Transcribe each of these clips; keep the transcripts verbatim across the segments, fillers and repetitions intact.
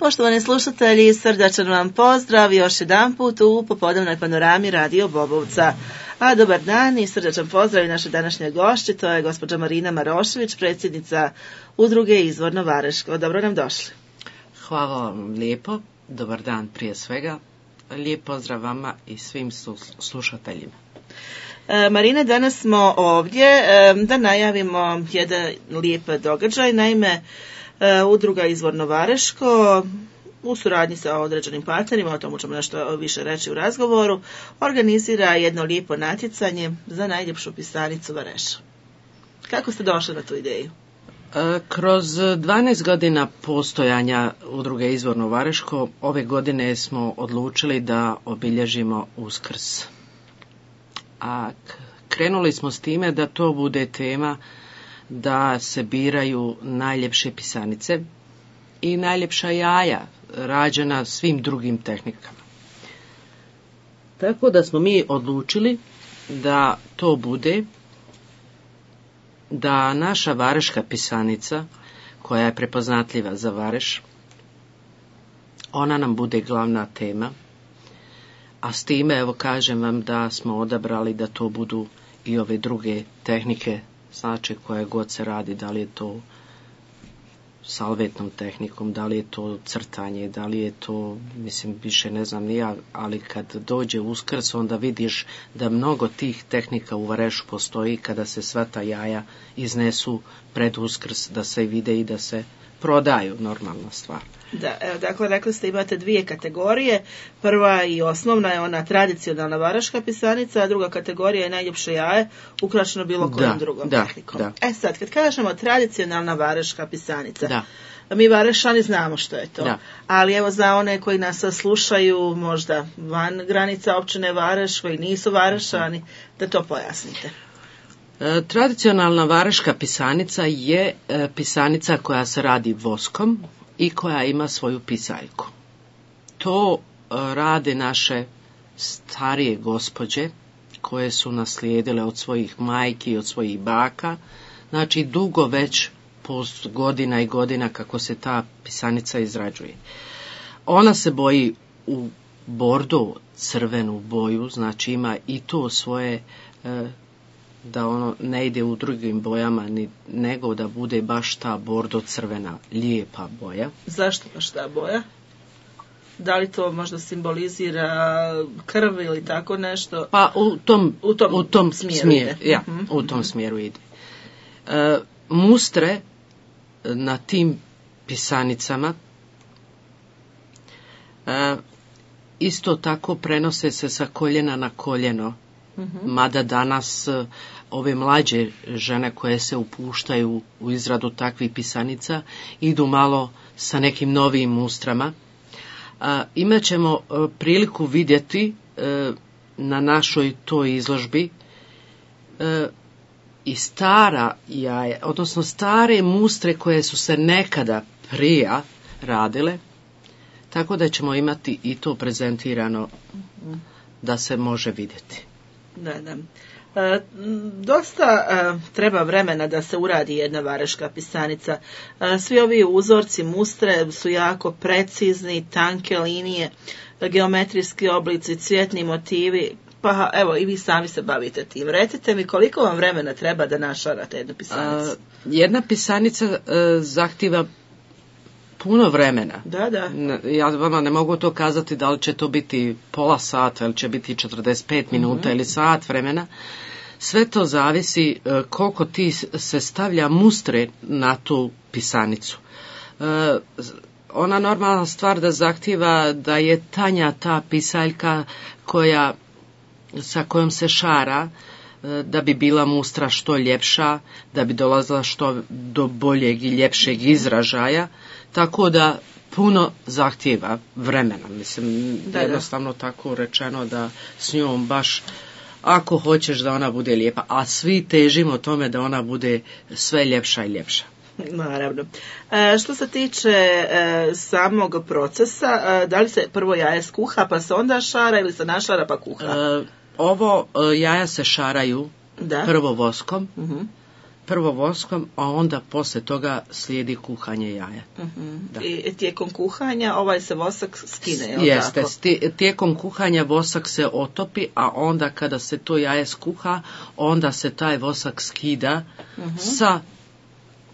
Poštovani slušatelji, srdačan vam pozdrav još jedan put u popodnevnoj panorami Radio Bobovca. A dobar dan i srdačan pozdrav i naše današnje gošće, to je gospođa Marina Marošević, predsjednica udruge Izvorno Vareško. Dobro nam došli. Hvala vam lijepo, dobar dan prije svega, lijep pozdrav vama i svim slušateljima. E, Marina, danas smo ovdje e, da najavimo jedan lijep događaj, naime e, udruga Izvorno Vareško u suradnji sa određenim partnerima, o tomu ćemo nešto više reći u razgovoru, organizira jedno lijepo natjecanje za najljepšu pisanicu Vareša. Kako ste došli na tu ideju? Kroz dvanaest godina postojanja udruge Izvorno Vareško, ove godine smo odlučili da obilježimo Uskrs. A krenuli smo s time da to bude tema da se biraju najljepše pisanice i najljepša jaja rađena svim drugim tehnikama. Tako da smo mi odlučili da to bude da naša vareška pisanica, koja je prepoznatljiva za Vareš, ona nam bude glavna tema, a s time, evo kažem vam da smo odabrali da to budu i ove druge tehnike, znači koje god se radi, da li je to salvetnom tehnikom, da li je to crtanje, da li je to, mislim, više ne znam ni ja, ali kad dođe Uskrs, onda vidiš da mnogo tih tehnika u Varešu postoji kada se sva ta jaja iznesu pred Uskrs, da se vide i da se prodaju, normalna stvar. Da, evo, dakle, rekli ste imate dvije kategorije. Prva i osnovna je ona tradicionalna vareška pisanica, a druga kategorija je najljepše jaje, ukrašeno bilo kojom da, drugom da, tehnikom. Da. E sad, kad kažemo tradicionalna vareška pisanica, da. mi Varešani znamo što je to, da. ali evo za one koji nas slušaju možda van granica općine Vareš, koji nisu Varešani, da to pojasnite. E, tradicionalna vareška pisanica je e, pisanica koja se radi voskom i koja ima svoju pisaljku. To e, rade naše starije gospođe koje su naslijedile od svojih majki i od svojih baka, znači dugo već post godina i godina kako se ta pisanica izrađuje. Ona se boji u bordo crvenu boju, znači ima i to svoje e, da ono ne ide u drugim bojama, ni, nego da bude baš ta bordo crvena, lijepa boja. Zašto baš ta boja? Da li to možda simbolizira krv ili tako nešto? Pa u tom, u tom, u tom smjeru, smjeru, ide. Ja, uh-huh. u tom smjeru ide. E, mustre na tim pisanicama e, isto tako prenose se sa koljena na koljeno. Uh-huh. Mada danas ove mlađe žene koje se upuštaju u izradu takvih pisanica idu malo sa nekim novim mustrama. A, imat ćemo a, priliku vidjeti a, na našoj toj izložbi a, i stara jaja, odnosno stare mustre koje su se nekada prije radile, tako da ćemo imati i to prezentirano uh-huh. da se može vidjeti. Da, da. E, dosta e, treba vremena da se uradi jedna vareška pisanica. E, svi ovi uzorci mustre su jako precizni, tanke linije, geometrijski oblici, cvjetni motivi, pa evo i vi sami se bavite tim. Recite mi koliko vam vremena treba da našarate jednu pisanicu? A, jedna pisanica e, zahtjeva puno vremena. Da, da. Ja vama ne mogu to kazati da li će to biti pola sata ili će biti četrdeset pet minuta mm-hmm. ili sat vremena. Sve to zavisi uh, koliko ti se stavlja mustre na tu pisanicu. Uh, ona normalna stvar da zahtjeva da je tanja ta pisaljka koja, sa kojom se šara, uh, da bi bila mustra što ljepša, da bi dolazila što do boljeg i ljepšeg izražaja. Tako da puno zahtjeva vremena, mislim, da, jednostavno da. Tako rečeno da s njom baš, ako hoćeš da ona bude lijepa, a svi težimo tome da ona bude sve ljepša i ljepša. Naravno. E, što se tiče e, samog procesa, e, da li se prvo jaje skuha pa se onda šara ili se našara pa kuha? E, ovo e, jaja se šaraju da. prvo voskom, uh-huh. prvo voskom, a onda poslije toga slijedi kuhanje jaja. Uh-huh. I tijekom kuhanja ovaj se vosak skine, je li Jeste, tako? Tijekom kuhanja vosak se otopi, a onda kada se to jaje skuha, onda se taj vosak skida uh-huh. sa,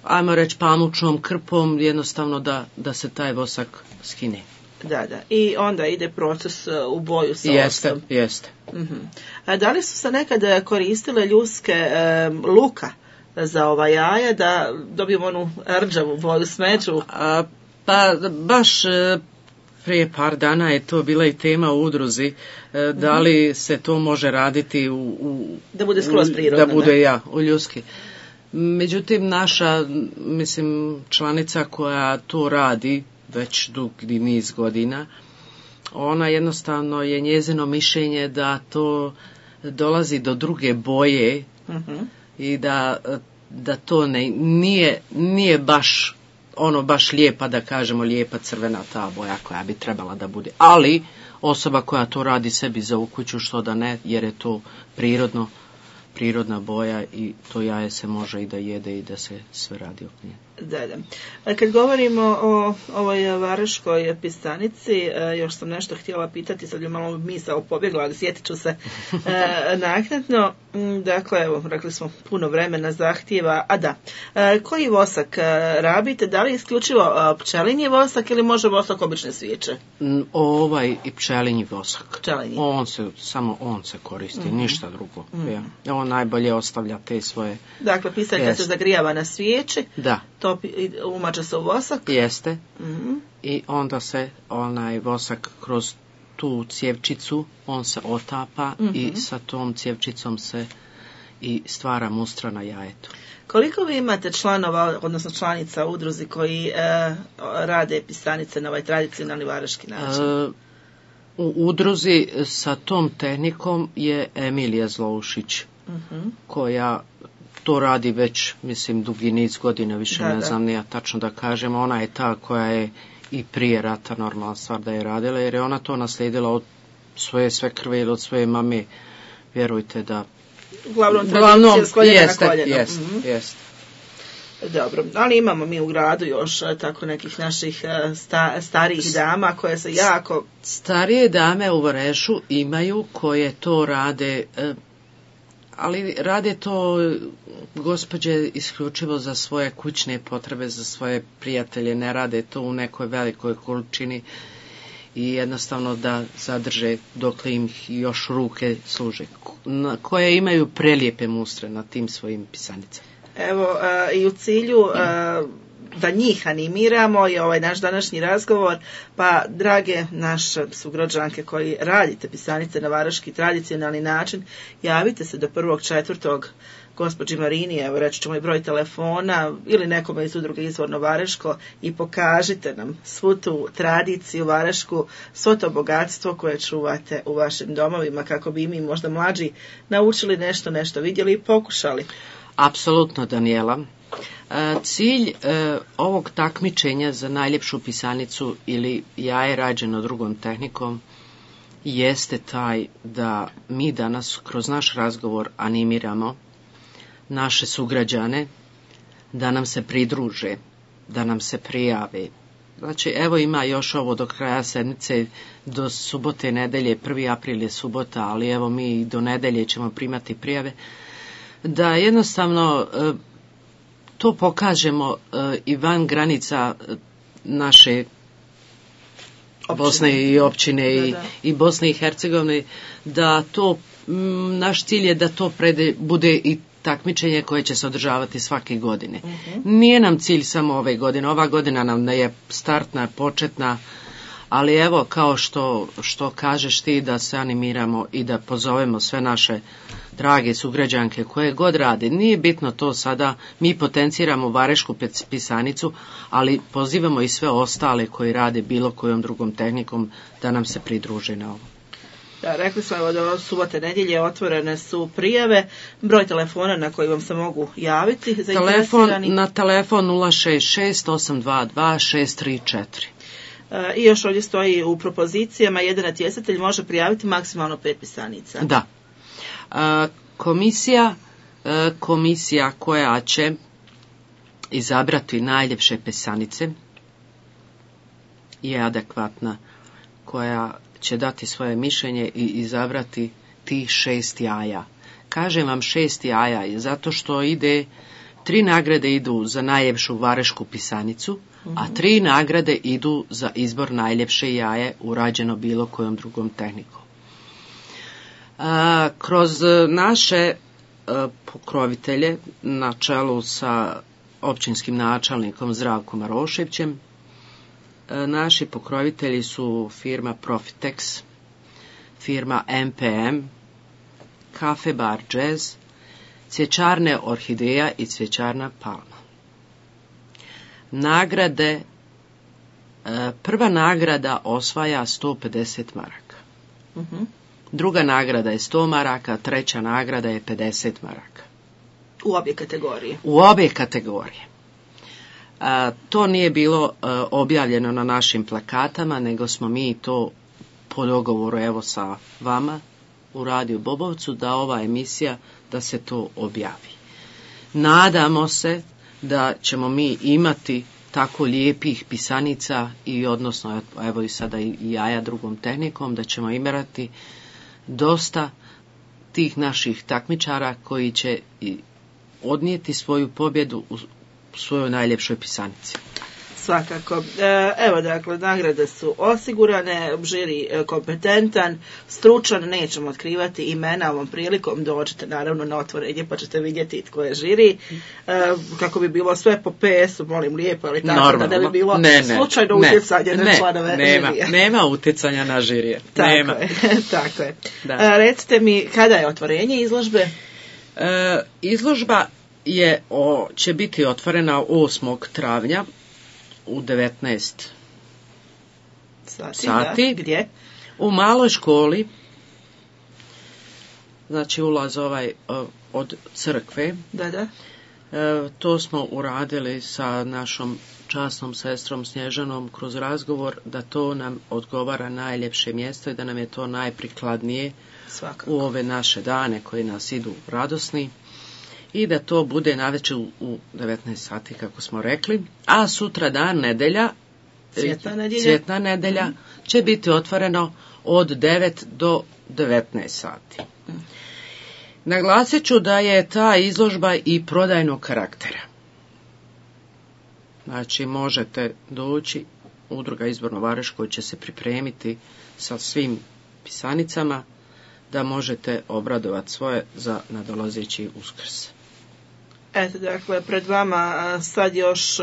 ajmo reći, pamučnom krpom, jednostavno da, da se taj vosak skine. Da, da. I onda ide proces u boju sa jeste, octom. Jeste, uh-huh. A da li su se nekada koristile ljuske e, luka za ova jaja, da dobijemo onu rđavu boju, smeđu? A, pa baš e, prije par dana je to bila i tema u udruzi, e, da li se to može raditi u... u da bude skroz prirodno. Da bude, ne? ja, u ljuski. Međutim, naša, mislim, članica koja to radi već dugi niz godina, ona jednostavno je njezino mišljenje da to dolazi do druge boje uh-huh. i da, da to ne, nije, nije baš ono baš lijepa, da kažemo lijepa crvena ta boja koja bi trebala da bude. Ali osoba koja to radi sebi za u kuću, što da ne, jer je to prirodno, prirodna boja i to jaje se može i da jede i da se sve radi oko nje. Da, da. A kad govorimo o ovoj vareškoj pisanici, još sam nešto htjela pitati, sad je malo misao pobjegla, ali sjetit ću se naknadno. Dakle, evo, rekli smo puno vremena zahtjeva. A da, koji vosak rabite? Da li isključivo pčelinji vosak ili može vosak obične svijeće? Ovaj i pčelinji vosak. Pčelinji. On se, samo on se koristi, mm-hmm. ništa drugo. Mm-hmm. Ja. On najbolje ostavlja te svoje... Dakle, pisaljka se zagrijava na svijeći. Da. Topi, umače se u vosak. Jeste. Mm-hmm. I onda se onaj vosak kroz tu cjevčicu, on se otapa mm-hmm. i sa tom cjevčicom se i stvara mustra na jajetu. Koliko vi imate članova, odnosno članica u udruzi koji e, rade pisanice na ovaj tradicionalni vareški način? E, u udruzi sa tom tehnikom je Emilija Zloušić, mm-hmm. koja to radi već, mislim, dugi niz godina, više da, ne znam da. Nija tačno da kažem. Ona je ta koja je i prije rata normalna stvar da je radila, jer je ona to naslijedila od svoje sve krve ili od svoje mame. Vjerujte da... Uglavnom tradicija s koljena jeste, na koljeno. Jeste, mm-hmm. jeste. Dobro, ali imamo mi u gradu još tako nekih naših sta, starijih dama koje se jako... Starije dame u Varešu imaju koje to rade... Ali rade to gospođe isključivo za svoje kućne potrebe, za svoje prijatelje, ne rade to u nekoj velikoj količini i jednostavno da zadrže dokle im još ruke služe, koje imaju prelijepe mustre na tim svojim pisanicama. Evo, a, i u cilju a, da njih animiramo je ovaj naš današnji razgovor, pa drage naše sugrađanke koji radite pisanice na vareški tradicionalni način, javite se do prvog četvrtog gospođi Marini, evo reći ćemo i broj telefona ili nekome iz udruge Izvorno Vareško i pokažite nam svu tu tradiciju varešku, svo to bogatstvo koje čuvate u vašim domovima kako bi mi možda mlađi naučili nešto, nešto vidjeli i pokušali. Apsolutno, Daniela. Cilj e, ovog takmičenja za najljepšu pisanicu ili jaje rađeno drugom tehnikom jeste taj da mi danas kroz naš razgovor animiramo naše sugrađane da nam se pridruže, da nam se prijave. Znači, evo ima još ovo do kraja sedmice, do subote, nedelje, prvi april je subota, ali evo mi do nedelje ćemo primati prijave, da jednostavno e, to pokažemo uh, i van granica naše općine. Bosne i općine da, da. I, i Bosne i Hercegovine, da to, m, naš cilj je da to prede, bude i takmičenje koje će se održavati svake godine. Uh-huh. Nije nam cilj samo ove godine, ova godina nam je startna, početna, ali evo kao što, što kažeš ti da se animiramo i da pozovemo sve naše drage sugrađanke koje god rade. Nije bitno to sada, mi potenciramo varešku pisanicu, ali pozivamo i sve ostale koji rade bilo kojom drugom tehnikom da nam se pridruže na ovo. Da, rekli smo evo do subote, nedjelje otvorene su prijave, broj telefona na koji vam se mogu javiti. Telefon, na telefon nula šest šest osam dva dva šest tri četiri. I još ovdje stoji u propozicijama, jedan natjecatelj može prijaviti maksimalno pet pisanica. Da. Komisija e, komisija koja će izabrati najljepše pisanice je adekvatna, koja će dati svoje mišljenje i izabrati tih šest jaja. Kažem vam šest jaja zato što ide, tri nagrade idu za najljepšu varešku pisanicu, a tri nagrade idu za izbor najljepše jaje urađeno bilo kojom drugom tehnikom. A, kroz naše a, pokrovitelje na čelu sa općinskim načelnikom Zdravkom Maroševićem, a, naši pokrovitelji su firma Profitex, firma M P M, Kafe Bar Jazz, cvjećarne Orhideja i cvjećarna Palma. Nagrade, prva nagrada osvaja sto pedeset maraka. Uh-huh. Druga nagrada je sto maraka, treća nagrada je pedeset maraka. U obje kategorije? U obje kategorije. A, to nije bilo a, objavljeno na našim plakatama, nego smo mi to po dogovoru evo sa vama u Radio Bobovcu, da ova emisija, da se to objavi. Nadamo se da ćemo mi imati tako lijepih pisanica i odnosno evo i sada i jaja drugom tehnikom, da ćemo imati dosta tih naših takmičara koji će odnijeti svoju pobjedu u svojoj najljepšoj pisanici. Svakako. Evo, dakle, nagrade su osigurane, žiri kompetentan, stručan, nećemo otkrivati imena ovom prilikom, dođete naravno na otvorenje pa ćete vidjeti tko je žiri, kako bi bilo sve po P S-u, molim lijepo, ali tako normalno, da ne bi bilo ne, ne, slučajno ne, utjecanje ne, na članove nema, žirije. Nema utjecanja na žirije. Tako nema. je, tako je. Da. Recite mi, kada je otvorenje izložbe? E, izložba je, o, će biti otvorena osmog travnja u devetnaest sati, sati. Da. Gdje? U maloj školi, znači ulaz ovaj od crkve. Da, da. E, to smo uradili sa našom časnom sestrom Snježanom kroz razgovor, da to nam odgovara najljepše mjesto i da nam je to najprikladnije Svakako. U ove naše dane koji nas idu radosni. I da to bude navečer u devetnaest sati, kako smo rekli. A sutra dan, nedelja, Cvjetna nedjelja, cvjetna nedjelja mm. će biti otvoreno od devet do devetnaest sati. Mm. Naglasit ću da je ta izložba i prodajnog karaktera. Znači, možete doći, Udruga Izborno Vareško će se pripremiti sa svim pisanicama, da možete obradovati svoje za nadolazeći Uskrs. Eto, dakle, pred vama sad još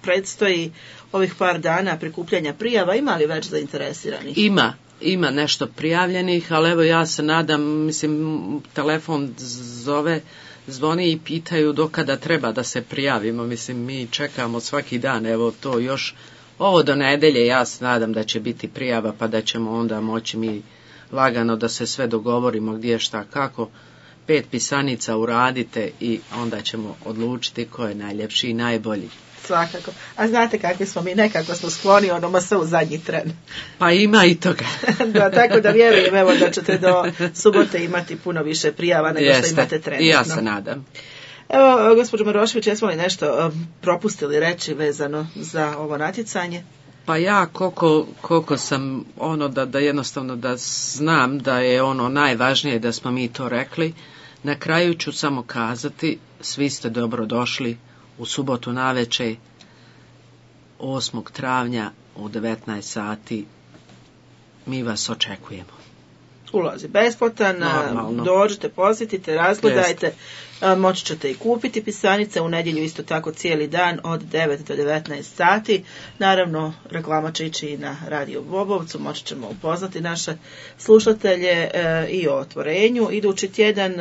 predstoji ovih par dana prikupljanja prijava. Ima li već zainteresiranih? Ima, ima nešto prijavljenih, ali evo ja se nadam, mislim, telefon zove, zvoni i pitaju do kada treba da se prijavimo. Mislim, mi čekamo svaki dan, evo to još, ovo do nedelje, ja se nadam da će biti prijava, pa da ćemo onda moći mi lagano da se sve dogovorimo gdje, šta, kako. Pet pisanica uradite i onda ćemo odlučiti ko je najljepši i najbolji. Svakako. A znate kakvi smo mi, nekako smo skloni onoma sve u zadnji tren. Pa ima i toga. Da, tako da vjerujem evo da ćete do subote imati puno više prijava nego Jeste. Što imate trenutno. I ja se nadam. Evo, gospođo Marošević, jesmo li nešto propustili reći vezano za ovo natjecanje? Pa ja koliko, koliko sam ono da, da jednostavno da znam da je ono najvažnije da smo mi to rekli, na kraju ću samo kazati, svi ste dobro došli u subotu navečer osmog travnja u devetnaest sati, mi vas očekujemo. Ulaz je besplatan, normalno. Dođite, posjetite, razgledajte, Jest. Moći ćete i kupiti pisanice, u nedjelju isto tako cijeli dan od devet do devetnaest sati. Naravno, reklama će ići i na Radio Bobovcu, moći ćemo upoznati naše slušatelje i o otvorenju idući tjedan.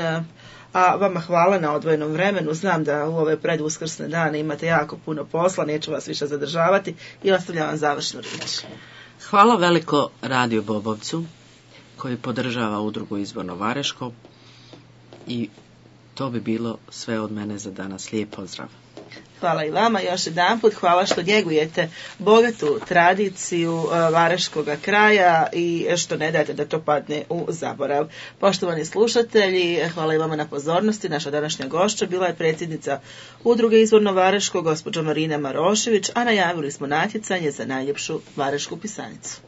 A vama hvala na odvojenom vremenu, znam da u ove preduskrsne dane imate jako puno posla, neću vas više zadržavati i ostavljam vam završnu riječ. Hvala veliko Radio Bobovcu koji podržava Udrugu Izborno Vareško i to bi bilo sve od mene za danas. Lijep pozdrav. Hvala i vama još jedanput, hvala što njegujete bogatu tradiciju Vareškoga kraja i što ne dajete da to padne u zaborav. Poštovani slušatelji, hvala i vama na pozornosti. Naša današnja gošća bila je predsjednica Udruge Izvorno Vareško, gospođa Marina Marošević, a najavili smo natjecanje za najljepšu varešku pisanicu.